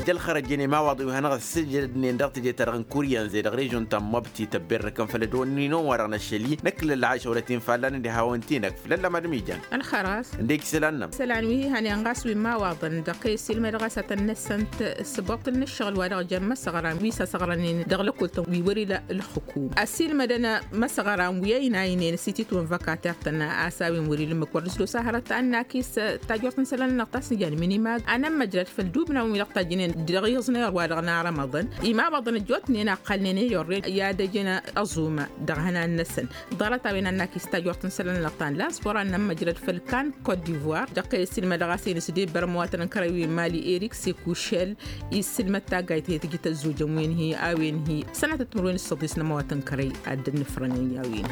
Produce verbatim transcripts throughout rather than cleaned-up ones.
D-ălxărăjăn i-imawaḍăn wi hanăɣ-ăssǝjădnen dăɣ-teje-ta-dăɣ n-kuryan zedăɣ režon ta n-măbti tăbberrăkăn făll-ădwănni n-onwa-dăɣ n-ašăl-i năkk lălla ašăwălăt-in fallan d-ihawăn-t-in-ăkf lălla madăm ijan. Ălxăras. Ǝndek isălan-nămăr. Isălan wi hihănen ɣas wi n-imawaḍăn dăɣ-kăy-ăssiilmădăɣ a-s ad-tăn-năsăn. Săboṭṭǝl n-ǝššăɣǝl wa dăɣ-jăn imăsăɣran wi s-asăɣrănen dăɣ-lăkkol-tăn wi wăr-ila ǝlxǝkum ăssiilmădăn imăsăɣran wi ăynaynen s-ititwăn văkater-tăn a-s a-wen wăr-ila ǝmmǝk wăr nǝslos a hărăt ad-nakis. Tajort n-isălan-nănăɣ ta s-nǝjan minimag anămmăjrăd făll-dubnăwăn wi-dăɣ tajjǝnen dăɣ-iẓnăyăr wa dăɣ-narămăḍăn imawaḍăn ăjjootnen a ǝqqălnen i-orren i-ad-ăjǝn ăẓum dăɣ-ihănan-năsăn. Ḍarăt-a-wen ad-nakis tajort n-isălan-nănăɣ ta n-lasbora n-ămmăjrăd făll-kan kot-divoir dăɣ-kăy-ăssiilmădăɣ a-s enǝsdebăr ămăwatăn n-kărăy wi n-mali erik sekušel. Issǝlmăd taggayt he-tǝjǝt ăzzojăn wi n-hi a-wen hi sănatăt timǝrwen s-săḍis n-ămăwatăn n-kărăy ad-dd-nǝfrănen i-a-wen.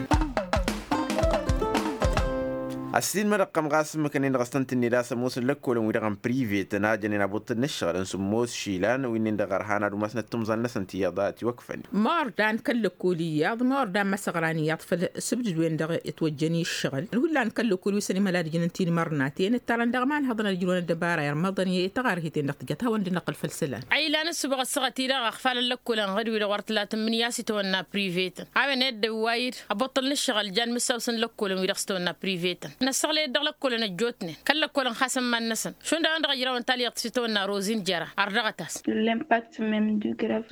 Ăssiilmădăɣ-tăn ɣas ǝmmǝkăn-in-dăɣ s-tăn-tǝnned a-s ămoosăn lăkkolăn-wi-dăɣ n-privetăn a jănen abuṭṭǝl n-ǝššăɣǝl n-sǝmmos išilan wi-nin-dăɣ ărhan ad-umasnăt timẓal-năsăn ti iyyăḍ a ătiwăkfăn. Mawărdan kăl-lăkkol iyyăḍ mawărdan măsăɣran iyyăḍ făll-sǝbdǝd-wen-dăɣ ătwăjjăn i-ǝššăɣǝl ǝlhullan kăl-lăkkol wi s-ănimăla d-ǝjǝnăn tinmărnaten ǝttarăn dăɣ-imanhăḍăn ad-ǝjrǝwăn ăddăbara irmăḍăn i-taɣarhiten-dăɣ tǝjăt hawăn-dd-năqqǝl făll-isălan. Ăylan ǝssǝbăɣ ăssaɣăt-i-dăɣ ăɣfalăn lăkkolăn ɣǝd-wi-dăɣ wăr tǝlatǝmmǝn i-a-s itawănna privetăn a-wen ed d-ăwway-dd ăbuṭṭǝl n-ǝššăɣǝl jan mǝssaw-săn lăkkolăn wi-dăɣ s-tawănna privetăn. Năssăɣlăyăt dăɣ-lăkkolăn ăjjootnen kăl-lăkkolăn xasăn iman-năsăn šund a-wen-dăɣ ăjrawăn talyaḍt s-itawănna rozin jăra ărdăɣăt-as. L'impact mem du graf.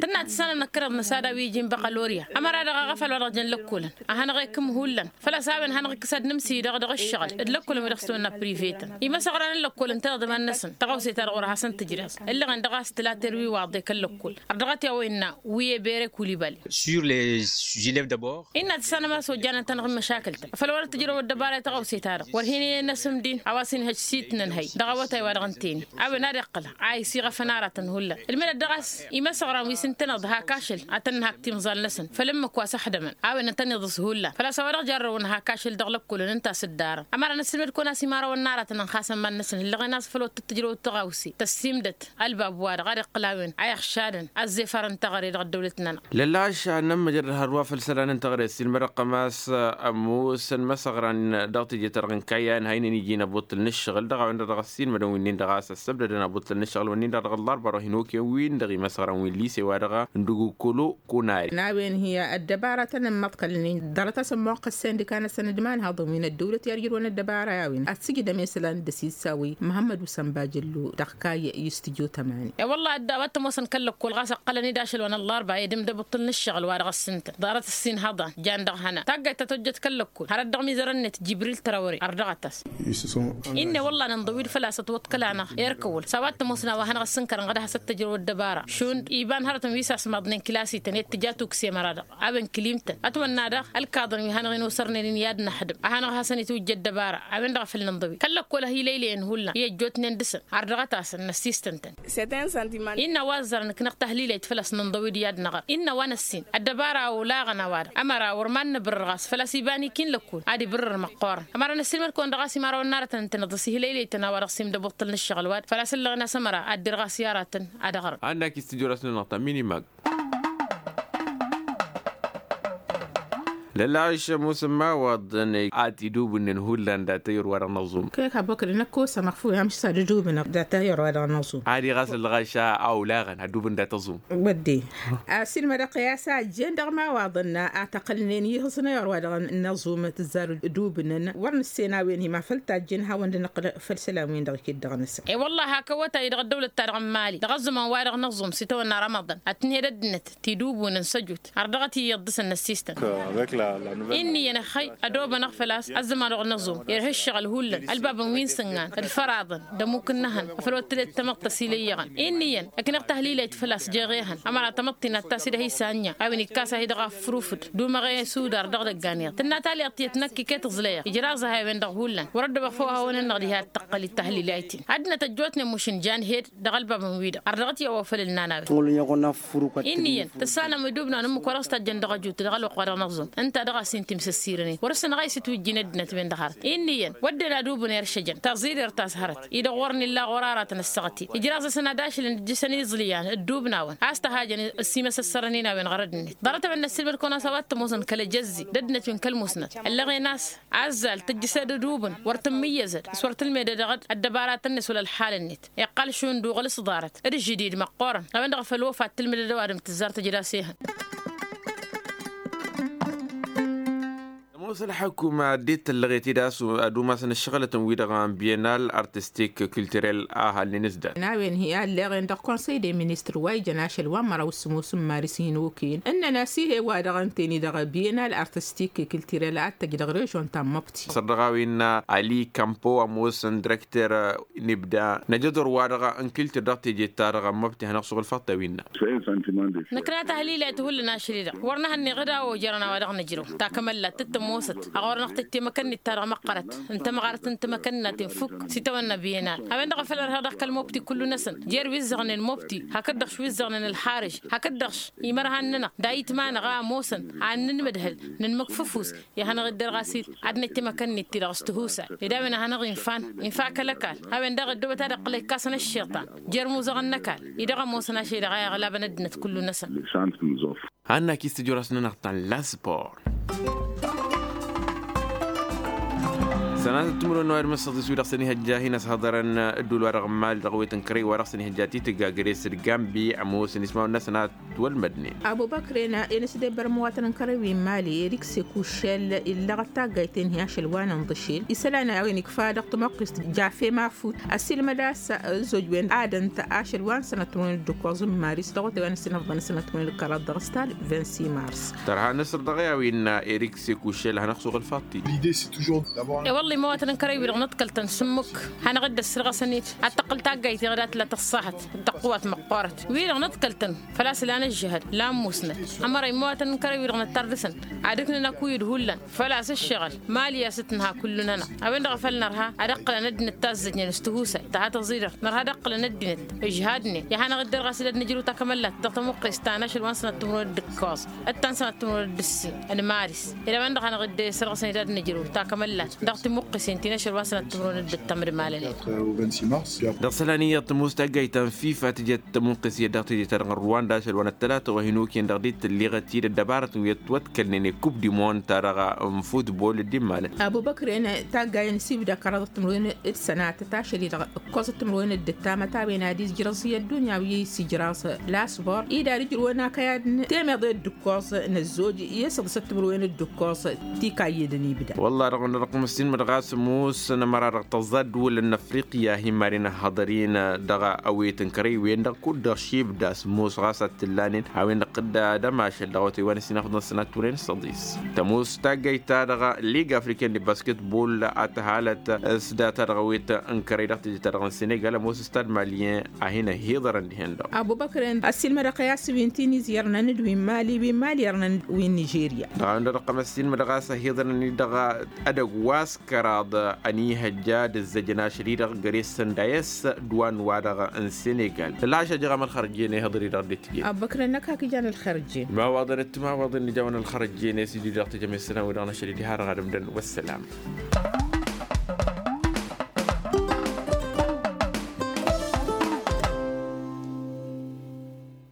Tǝnna tǝssanăm năkkăneḍ n-asada wi iji n-băɣălorya ămăra-dăɣ aɣăfal wa dăɣ-jăn lăkkolăn a hanăɣ-ekǝm hullan. Făl-a-s a-wen hanăɣ-ikkǝs ad-nǝmsǝy dăɣ-dăɣ ǝššăɣǝl d-lăkkolăn wi dăɣ-s tăwănna privetăn imăsăɣran n-lăkkol ǝntăneḍ iman-năsăn. Tăɣawse-ta-dăɣ wăr hasăn-tǝjreẓ ǝllăɣen dăɣ-a-s tǝlater wi waḍe kăl-lăkkol. Ărdăɣăt i-a-wa innă wi e-bere kulibali. Sur les élèves d'abord. Innă tǝssanăm a-s ojjan ǝntăneḍ n-măšakǝl-tăn făl wăr t-ǝjrăw ăddăbara i-tăɣawse-ta-dăɣ wăr hin-ăyăn asǝmdin a-wa s-inhăj s-itnănhăy dăɣ-awătay wa dăɣ-ǝnta-en. A-wen ad-iqqǝl a isiɣăfăn aratăn hullan ǝlmǝdăt dăɣ-a-s imăsăɣran wi s-ǝntăneḍ hak ašăl ad-tăn-nǝhak timẓal-năsăn făll-ǝmmǝk wa s-ăxdămăn. A-wen ăntăneḍ s-hullan făl-a-s a-wa dăɣ-jarrăwăn hak ašăl dăɣ-lăkkolăn ǝnta a-s ǝddarăn ămăra năssiilmăd kăwăn-as imărawăn n-aratăn ănxasăn iman-năsăn ǝllăɣen a-s făl wăr tǝttǝjrăw d-tăɣawse tăssiimdăt ălbab-wa-dăɣ ad-iqqǝl a-wen a iɣšadăn ăzzefar n-teɣăre dăɣ-ăddăwlăt-nănăɣ. Lălla ašăl ad-nămmăjrăd hărwa făll-isălan n-teɣăre ăssiilmădăɣ-tăn a-s ămoosăn imăsăɣran dăɣ-teje-ta-dăɣ n-kayya ǝnhăynen iji n-abuṭṭǝl n-ǝššăɣǝl dăɣ-a-wen-dăɣ dăɣ-ăssiilmădăn wi-nin-dăɣ a-s ăssăbdădăn abuṭṭǝl n-ǝššăɣǝl-win-nin-dăɣ dăɣ-ăllarba dăɣ-hin-okăyăn-win-dăɣ imăsăɣran wi n-lise-wa-dăɣ n-dugukolo. Kunare n-a-wen hi-ăddăbara ta n-ămmăḍkălnen ḍarăt-as ămmoqqăs sindika-năsăn d-imanhăḍăn wi n-ăddăwlăt i-ad-ijrǝwăn ăddăbara i-a-wen ad-sǝjdăm isălan d-asisa wi măhămmăd usăn bajăllo dăɣ-kayy i-studyo tămani. E-wălla a-wa t-ămoosăn kăl-lăkkol ɣas ǝqqălăn-dd ašăl wa n-ăllarba edǝm d-abuṭṭǝl n-ǝššăɣǝl wa dăɣ-s ǝntăn ḍarăt ăssinhăḍan jan dăɣ-ihănan taggayt ta tojjăt kăl-lăkkol hărăt dăɣ-mizărăn-net jibril tărawăre ărdăɣăt-as. Innă wălla nǝnḍăwid făl-a-s ătwăḍkăl-anăɣ erk ăwwăl s-a-wa t-ămoosăn a-wa hanăɣ-ăssǝnkărăn ɣad hasăt-tăjrăw ăddăbara šund iba n-hărătăn wi s-asmaḍnen kilasităn i-ad-tǝja tuksem ăra-dăɣ. A-wen kǝlimtăn ătwănna daɣ ălkaḍăn wi hanăɣ-in-osărnen i-ad-năxdǝm a hanăɣ-hasăn-itwǝjja ăddăbara. A-wen-dăɣ a făl nǝnḍăwid kăl-lăkkol a hi-lăylăyăn hullan i-ăjjootnen dăɣ-săn. Ărdăɣăt-asăn năssistăn-tăn. Innă a-wa ăzzărăn ǝknăɣ tahlilayt făl-a-s nǝnḍăwid i-ad-năɣăr innă a-wa năssin ăddăbara a olaɣăn a-wa-dăɣ ămăra wăr mad-nǝbǝrrǝr ɣas făl-a-s iba n-ikin lăkkol ad-ibǝrrǝr măqqoorăn. Ămăra năssiilmăd-kăwăn dăɣ-a-s imărawăn n-aratăn ǝntăneḍ ăsihilăylăy-tăn a-wa dăɣ-s imdăbuṭṭǝl n-ǝššăɣǝl wa-dăɣ făl-a-s ǝllăɣen a-s ămăra ad-dirɣas i-aratăn ad-ăɣrǝm. Annak istijor-as-nănăɣ ta minimag. Lăla ašămus n-imawaḍăn ad-t-idubǝnnen hullan dat-ayǝr wa dăɣ-năẓum. Kăy-ăkk abokăd năkk osămăɣ făw i-amǝšsa d-idubǝnăɣ dat-ayǝr wa dăɣ-năẓum. Ad-iɣas ǝllăɣ ašăl a olaɣăn ad-dubǝn dat-aẓum. Wădden. Ăssiilmădăɣ-t i-a-s a ǝjjen dăɣ-imawaḍăn a tăqqălnen ihǝẓnăyăr wa dăɣ-năẓum tǝzzar idubǝnăn wăr nǝssen a-wen hi-ma făl tajjen hawăn-dd-năqqǝl făll-isălan-win-dăɣ iket dăɣ-năsăn. E-wălla-hi hak ăwwătay dăɣ-ăddăwlăt-ta-dăɣ n-mali dăɣ-ăẓẓumăn wa dăɣ-năẓum s-itawănna rămăḍan ad-tǝnhed ăddinăt tidubunăn s-ăjut har dăɣ-t iyyăḍ dăɣ-săn năssistăn. Innă iyyăn ăxxăy ădobănăɣ făl-a-s ăzzăman-dăɣ n-aẓum irha ǝššăɣǝl hullan ălbabăn wi n-sǝngan d-făraḍăn d-ămuk n-ehăn afăl wăr tǝled tamăḍt ăsilăyyăɣăn. Innă iyyăn ǝknăɣ tahlilayt făl-a-s jeɣ ehăn ămăra tamăḍt-in ad-tas-dd ehăn isanya a-wen ikkas-ahi dăɣ-afrufǝd d-umăɣ i-sudar dăɣ-idăggan iyyăḍ tǝnna talyaḍt tiyyăt năkk iket ǝẓlăyăɣ ijraẓ-ahi a-wen-dăɣ hullan wăr-ăddăbăɣ făw a hawăn-ănnaɣ diha d-tăqqăl d-tahlilayt-in. Ăddinăt ăjjootnen mušǝn jan hed dăɣ-ălbabăn wi-dăɣ ărdăɣăt i-a-wa făl ǝlnan a-wen. Innă iyyăn tǝssanăm idubnăn ǝmmǝk wa dăɣ-s tajjăn dăɣ-ăjut dăɣ-ălwăqq wa dăɣ-năẓum. ta dăɣ-a-s inta imsăssirănen wăr-săn ɣayǝs itwǝjjin ăddinăt-wen-dăɣ hărăt. Inn'-iyyăn wădden ad-ubǝn eršăjăn taẓiḍert ta s-hărăt-i-dăɣ ɣur-nilla ɣur-aratăn ăssaɣăt-in ijraẓ-asăn ad-ašǝlăn dd-jǝsăn iẓlǝyan ădduubnawăn a-s tăhajăn ăsimăsăssărăn-in a-wen ɣărăd-net. Ḍarăt-a-wen n-ăssiilmăd kăwăn-as a-wa t-ămoosăn kăl-ejăzzi d-ăddinăt wi n-kăl-musnăt ăllăɣen a-s azzal tǝjjǝsed ad-ubǝn wăr tǝmmǝyyăzăd s-wăr tǝlmedăd dăɣ-ăddăbaratăn-net wăla ălxalăn-net. Iqqal šund uɣǝl s-ḍarăt d-žǝdid măqqoorăn a-wen-dăɣ făl wăfa t-tǝlmǝdăd ăwadǝm tǝzzar tǝjǝd-as ehăn. Ămoos ălḥăkuma dd-tăllăɣet-dd a-s ad-umasăn ǝššăɣǝlătăn-wi-dăɣ n-bienal artistik kulturel a halnen s-dat. N-a-wen hi-alleɣen dăɣ-konsăy de ministăr wa ijăn ašăl wa n-măraw s-sămoos n-maris hin-okăyăn ǝnnăn-as ih'-e wa dăɣ-ǝnten-i-dăɣ bienal artistik kulturel ad-tăj dăɣ-režon ta n-măbti. Săr dăɣ-a-wen ali kampo ămoosăn direkter. Nǝbda năjăḍor-wa-dăɣ n-kultur dăɣ-teje-ta-dăɣ n-măbti hanăɣ-suɣǝl făṭṭew innă. Năkk n-ad-tahǝlilayt hullan ašăl-i-dăɣ wăr nǝhănneɣ d-a-wa ojărăn a-wa dăɣ-nǝjrăw takămăllat d-tămoosăt a ɣur-năɣ tăjj temăkănnit-ta-dăɣ măqqărăt n-tămɣart n-timăkănnaten fukk s-itawănna bienal. A-wen-dăɣ a făl ărheɣ dăɣ-kăl-mobti kullu-năsăn jer-wi ǝzzăɣnen mobti hakd-dăɣ wi ǝzzăɣnen ălxarǝž hakd-dăɣ imărhan-nănăɣ d-ayǝtma-năɣ a ămoosăn ad-nǝnmǝdhǝl nǝnmǝkfǝfus. I-ad-hanăɣ-dd-ărɣas-dd ad-năj timăkănnit-ti-dăɣ s-tihusay d-a-wen ad-hanăɣ infa infa kăl-ăkall. A-wen-dăɣ ăddoobăt ad-ǝqqǝl ăykassăn ăššiṭṭan jer-imuzăɣăn n-ăkall-i-dăɣ ămoosăn ašăl-i-dăɣ a iɣlabăn ăddinăt kullu-năsăn. Hanna-k-i s-tǝjrăs-nănăɣ ta n-laspor. Sănatăt timǝrwen n-awăr măssăḍis wi-dăɣ săn ihăjja a hin-ăshăḍărăn ădduul-wa-dăɣ n-mali dăɣ-wet n-kărăy wa dăɣ-săn ihăjja titǝgga găre-s d-gambi ămoosăn ismawăn n-asănat. Wăl-mădnen. Abubăkren i-nǝsdebăr imǝwatăn n-kărăy wi n-mali erik sekušel illăɣăt taggayt-en hi-ašăl wa n-inḍǝšel isălan a-wen ikfa dăɣ-tămoqqist jafe mafut ăssiilmăd a-s ăzzoj-wen ad-ǝnta ašăl wa n-sănăt timǝrwen d-ǝkkoẓ n-maris dăɣ-otay wa n-ăssinăfḍăn sănăt timǝrwen d-kăraḍ dăɣ-stad. Vingt-six mars. Tărha nǝsr dăɣ-i-a-wen erik sekušel hanăɣ-suɣǝl faḍt-i. I-wălla imǝwatăn n-kărăy-wi-dăɣ nǝḍkăl-tăn s-ǝmmǝk hanăɣ-dd-ăssărɣăsăn-dd ad-tăqqǝl taggayt-i dăɣ-dat la tăṣṣaḥăt d-tăqqǝwat măqqoorăt wi-dăɣ nǝḍkăl-tăn. Făl-a-s lan ǝžžǝhăd lan musnăt ămăra imǝwatăn n-kărăy-wi-dăɣ nǝttar dăɣ-săn ad-ǝknǝn akuyǝd hullan făl-a-s ǝššăɣǝl mali a-s t-nǝha kullu-nănăɣ. A-wen-dăɣ a făl nărha ad-ǝqqǝlăn ăddinăt tazzăjnen s-tihusay tăha tăẓidăr nărha ad-ǝqqǝlăn ăddinăt ǝžhadnen i-ad-hanăɣ-dd-ărɣas d-ad-nǝjrǝw takămăllat dăɣ-tamǝqqest ta n-ašăl wa n-sănăt timǝrwen d-ǝkkoẓ d-ta n-sănăt timǝrwen d-ǝssin n-maris. Ed a-wen-dăɣ hanăɣ-dd-sărɣǝsăn d-ad-nǝjrǝw takămăllat dăɣ-timǝqqǝsen ti n-ašăl wa n-sănăt timǝrwen d-ǝttăm d-malălen. Dăɣ-isălan iyyăḍ tămoos taggayt ta n-fifa tǝjăt tamǝqqǝs iyyăt dăɣ-teje-ta-dăɣ n-ruwanda ašăl wa n-ăttălata wa hin-okăyăn dăɣ-dd-tǝlleɣăt-dd ăddăbarătăn wi ătwătkălnen i-kub di monta-dăɣ n-futbol d-immalăn. Abubăkren taggay n-sibda kăraḍăt timǝrwen d-sănatăt ašăl-i-dăɣ ǝkkoẓăt timǝrwen d-ǝttamăt a-wen ad-izjrăẓ i-ăddunya wi isǝjraẓ lasbor-i d-ad-ǝjrǝwăn akăyad n-temeḍe d-ǝkkoẓ n-ăzzoj i-săḍǝsăt timǝrwen d-ǝkkoẓ. Tikayyădăn ibda. Wălla-dăɣ wănăɣ-dăɣ măssinmăd ɣas ămoos n-ămăra-dăɣ tăẓẓa ăddǝwǝlăn n-afriqya hi-maren ăhhăḍăr-in dăɣ-awet n-kărăy-wen-dăɣ kud-dăɣ šibda s-ămoos ɣas ad-t-ǝllanen a-wen-dăɣ tǝdda d-ămašăl dăɣ-awătay wa n-ăssinafăḍăn sănat timǝrwen s-săḍis. Tămoos taggayt-ta-dăɣ liga afriken de basketbol a tăhalăt s-data dăɣ-awet n-kărăy dăɣ-teje-ta-dăɣ n-senegal ămoos stad malyen a hin-ăhhiḍărăn dihen-dăɣ. Abubăkren ăssiilmădăɣ-t i-a-s wi n-tiniz irnăn d-wi n-mali wi n-mali irnăn wi n-nižerya. Dăɣ-a-wen-dăɣ dăɣ-tăqqăm ăssiilmădăɣ a-s ăhhiḍărăn-i dăɣ-edăgg wa s-kăraḍ ănihăjja d-ǝzzăjăn ašăl-i-dăɣ găre-săn d-a-s dd-wa n-wa-dăɣ n-senegal. Fălla-s a jăɣ amălxărăj i-ănihăḍăr-i-dăɣ dd-tijăt. Abubăkren năkk hak ijan ălxărăj-en. Imawaḍăn d-timawaḍen n-ijawăn ălxărăj-en i-s ija-i-dăɣ tijăm i-sănăw-i-dăɣ n-ašăl-i diha-dăɣ ad-ǝmdăn. Wăssălam.